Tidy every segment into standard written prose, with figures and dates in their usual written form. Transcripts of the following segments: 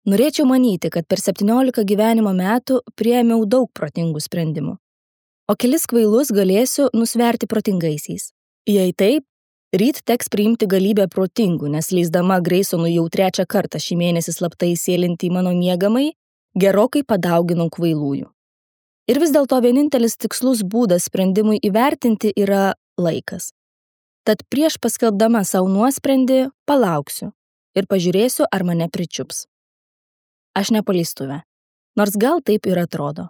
Norėčiau manyti, kad per 17 gyvenimo metų priėmiau daug protingų sprendimų. O kelis kvailus galėsiu nusverti protingaisiais. Jei taip, ryt teks priimti galybę protingų, nes leisdama Greisonui jau 3 kartą šį mėnesį slaptai įsėlinti į mano miegamąjį, gerokai padauginau kvailųjų. Ir vis dėlto vienintelis tikslus būdas sprendimui įvertinti yra laikas. Tad prieš paskelbdama savo nuosprendį palauksiu ir pažiūrėsiu, ar mane pričiups. Aš ne paleistuvė, nors gal taip ir atrodo.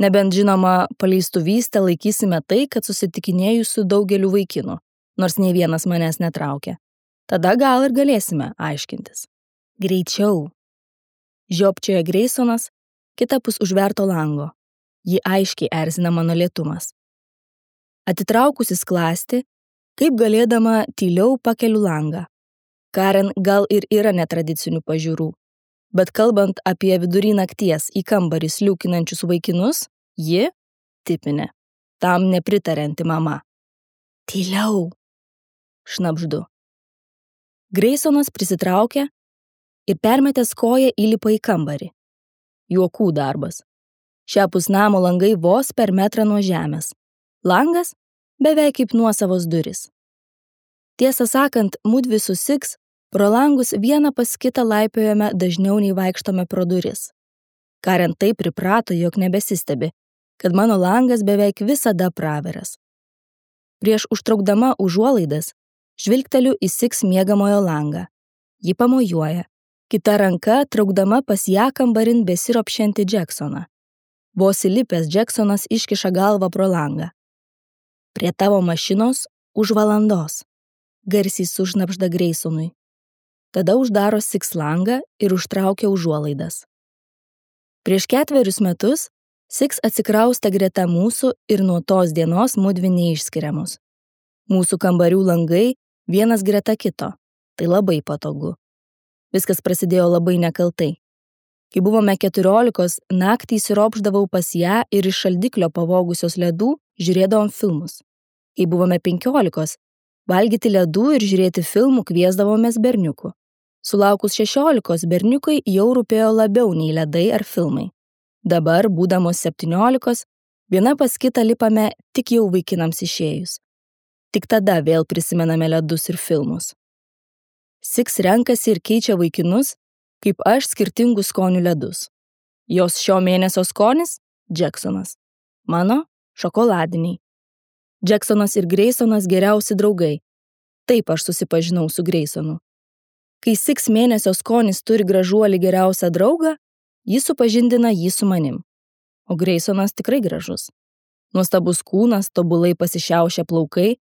Nebent žinoma, paleistuvystę laikysime tai, kad susitikinėju su daugeliu vaikinų, nors nei vienas manęs netraukia. Tada gal ir galėsime aiškintis. Greičiau. Žiopčioja Greisonas, kitapus užverto lango. Jį aiškiai erzina mano lėtumas. Atitraukusi skląstį, kaip galėdama tyliau pakeliu langą. Karen gal ir yra netradicinių pažiūrų, bet kalbant apie vidury nakties į kambarį sliūkinančius vaikinus, ji tipinė, tam nepritarianti mama. Tyliau, šnabždu. Greisonas prisitraukia ir permetęs koją įlipa į kambarį. Juokų darbas. Šiapus namo langai vos per metrą nuo žemės. Langas beveik kaip nuosavos durys. Tiesą sakant, mudvi su Six pro langus vieną pas kitą laipiojame dažniau nei vaikštome pro duris. Karen taip priprato, jog nebesistebi, kad mano langas beveik visada praveras. Prieš užtraukdama užuolaidas, žvilgteliu į Six miegamojo langą. Ji pamojuoja, kita ranka traukdama pas ją kambarin besiropšiantį Jacksoną. Vos įlipęs Jacksonas iškiša galvą pro langą. Prie tavo mašinos už valandos, garsiai sušnabžda Greisonui. Tada uždaro Six langą ir užtraukia užuolaidas. Prieš 4 metus Six atsikraustė greta mūsų ir nuo tos dienos mudvi neišskiriamos. Mūsų kambarių langai vienas greta kito. Tai labai patogu. Viskas prasidėjo labai nekaltai. Kai buvome 14, naktį įsiropšdavau pas ją ir iš šaldiklio pavogusios ledų žiūrėdavom filmus. Kai buvome 15, valgyti ledų ir žiūrėti filmų kviesdavomės berniukų. Sulaukus 16, berniukai jau rūpėjo labiau nei ledai ar filmai. Dabar, būdamos 17, viena pas kitą lipame tik jau vaikinams išėjus. Tik tada vėl prisimename ledus ir filmus. Six renkasi ir keičia vaikinus, kaip aš skirtingų skonių ledus. Jos šio mėnesio skonis – Jacksonas. Mano – šokoladiniai. Jacksonas ir Greisonas geriausi draugai. Taip aš susipažinau su Greisonu. Kai Six mėnesio skonis turi gražuolį geriausią draugą, jis supažindina jį su manim. O Greisonas tikrai gražus. Nuostabus kūnas, tobulai pasišiaušę plaukai,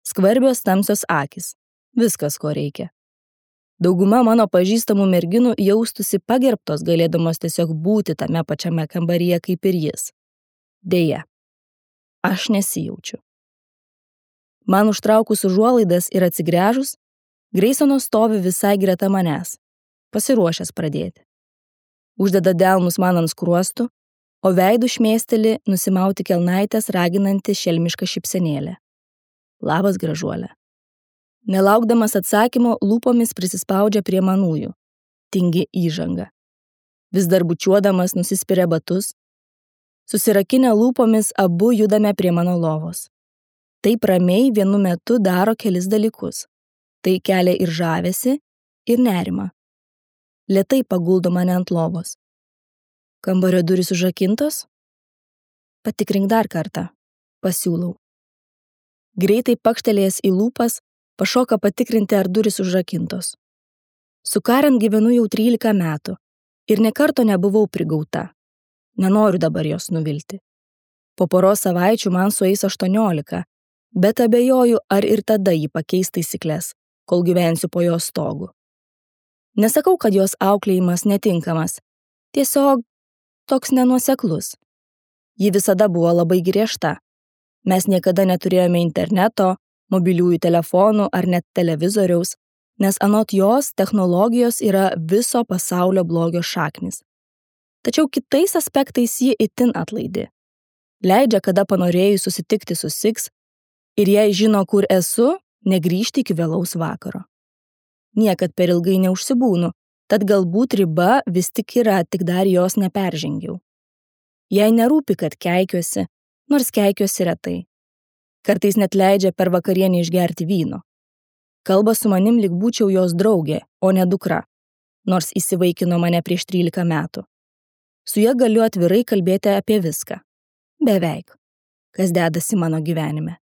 skvarbios tamsios akys. Viskas, ko reikia. Dauguma mano pažįstamų merginų jaustusi pagerbtos, galėdamos tiesiog būti tame pačiame kambaryje kaip ir jis. Deja, aš nesijaučiu. Man užtraukus užuolaidas ir atsigręžus, Greisonas stovi visai greta manęs, pasiruošęs pradėti. Uždeda delnus man ant skruostų, o veidų šmėsteli nusimauti kelnaitės raginanti šelmišką šypsenėlę. Labas, gražuolė. Nelaukdamas atsakymo, lūpomis prisispaudžia prie manųjų. Tingi įžanga. Vis dar bučiuodamas nusispiria batus. Susirakinę lūpomis abu judame prie mano lovos. Taip ramiai vienu metu daro kelis dalykus. Tai kelia ir žavesį, ir nerimą. Lėtai paguldo mane ant lovos. Kambario durys užrakintos? Patikrink dar kartą, pasiūlau. Greitai pakštelėjęs į lūpas, pašoka patikrinti, ar durys užrakintos. Su Karen gyvenu jau 13 metų ir nė karto nebuvau prigauta. Nenoriu dabar jos nuvilti. Po poros savaičių man sueis 18, bet abejoju, ar ir tada ji pakeis taisyklės, kol gyvensiu po jos stogu. Nesakau, kad jos auklėjimas netinkamas, tiesiog toks nenuoseklus. Ji visada buvo labai griežta. Mes niekada neturėjome interneto, mobiliųjų telefonų ar net televizoriaus, nes anot jos technologijos yra viso pasaulio blogio šaknis. Tačiau kitais aspektais ji itin atlaidi. Leidžia, kada panorėjus susitikti su Six ir jei žino, kur esu, negrįžti iki vėlaus vakaro. Niekad per ilgai neužsibūnu, Tad galbūt riba vis tik yra, tik dar jos neperžengiau. Jai nerūpi, kad keikiuosi, nors keikiuosi retai. Kartais net leidžia per vakarienį išgerti vyno. Kalba su manim lyg būčiau jos draugė, o ne dukra, nors įsivaikino mane prieš 13 metų. Su ja galiu atvirai kalbėti apie viską. Beveik. Kas dedasi mano gyvenime.